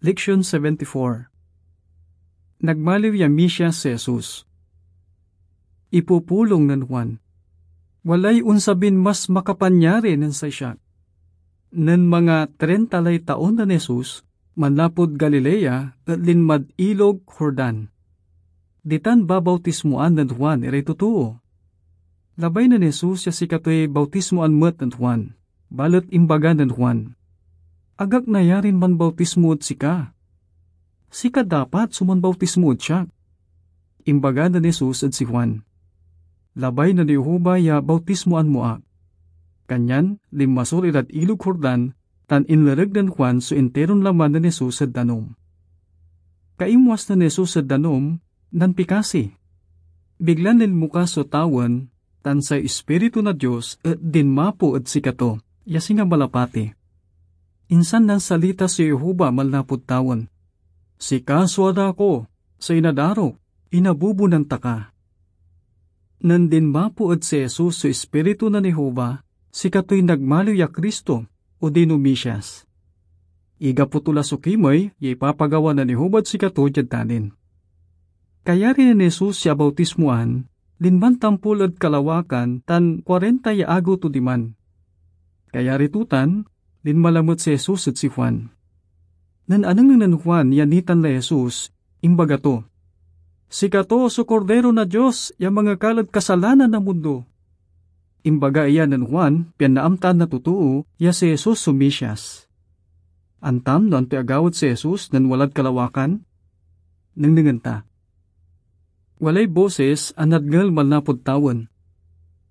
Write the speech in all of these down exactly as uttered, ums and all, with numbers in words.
Leksyon seventy-four. Nagmaliw ya misia si Jesus. Ipupulong nen Juan, "Walay onsabin mas makapanyari nen say siak." Nen manga treinta lay taon nen Jesus, manlapud Galilea et linmad Ilog Jordan. Ditan babautismoan nen Juan iray totoo. Labay nen Jesus ya sikatoy bautismoan met nen Juan, balet imbaga nen Juan, "Agak nayarin manbautismo ed sika. Sika dapat so manbautismo ed siak." Imbaga nen Jesus ed si Juan, "Labay nen Jehovah ya bautismoan mo ak." Kanyan linmasol irad Ilog Jordan tan inlereg nen Juan so interon laman nen Jesus ed danum. Kaimwas nen Jesus ed danum, nanpikasi. Biglan linmuka so tawen, tan say Ispiritu na Dios et dinmapo ed sikato, ya singa malapati. Insan nansalita so Jehovah manlapud tawen, "Sika so Anak ko, say inadarok, inabubonan ta ka." Nen dinmapo ed si Jesus so Ispiritu nen Jehovah, sikatoy nagmaliw ya Cristo, odino Mesias. Igapo to la so kimey ya ipapagawa nen Jehovah ed sikato diad dalin. Kayari nen Jesus ya abautismoan, linman tampol ed kalawakan tan kuarenta ya agew to diman. Kayari to tan, linma lamet si Jesus ed si Juan. Nen anengneng nen Juan ya nitan lay Jesus, imbaga to, "Sikato so Kordero na Dios ya mangekal ed kasalanan na mundo." Imbaga iya nen Juan pian naamtaan na totoo ya si Jesus so Mesias. Antam no antoy agawad si Jesus nen walad kalawakan? Nengnengen ta. Walay bosis a nadngel manlapud tawen,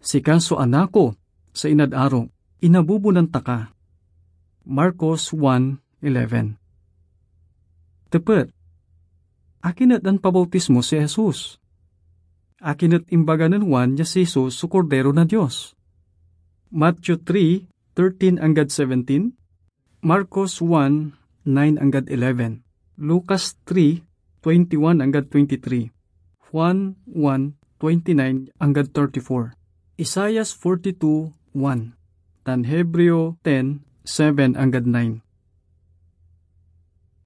"Sika so Anak ko, say inad arok, inabubonan ta ka." Marcos one eleven. Tepet, akin et nanpabautismo si Jesus? Akin et imbaga nen Juan ya si Jesus so Kordero na Dios? Matthew three thirteen anggad seventeen, Marcos one nine anggad eleven, Lucas three twenty-one anggad twenty-three, Juan one twenty-nine anggad thirty-four, Isaias forty-two one, tan Hebreo ten seven anggad nine.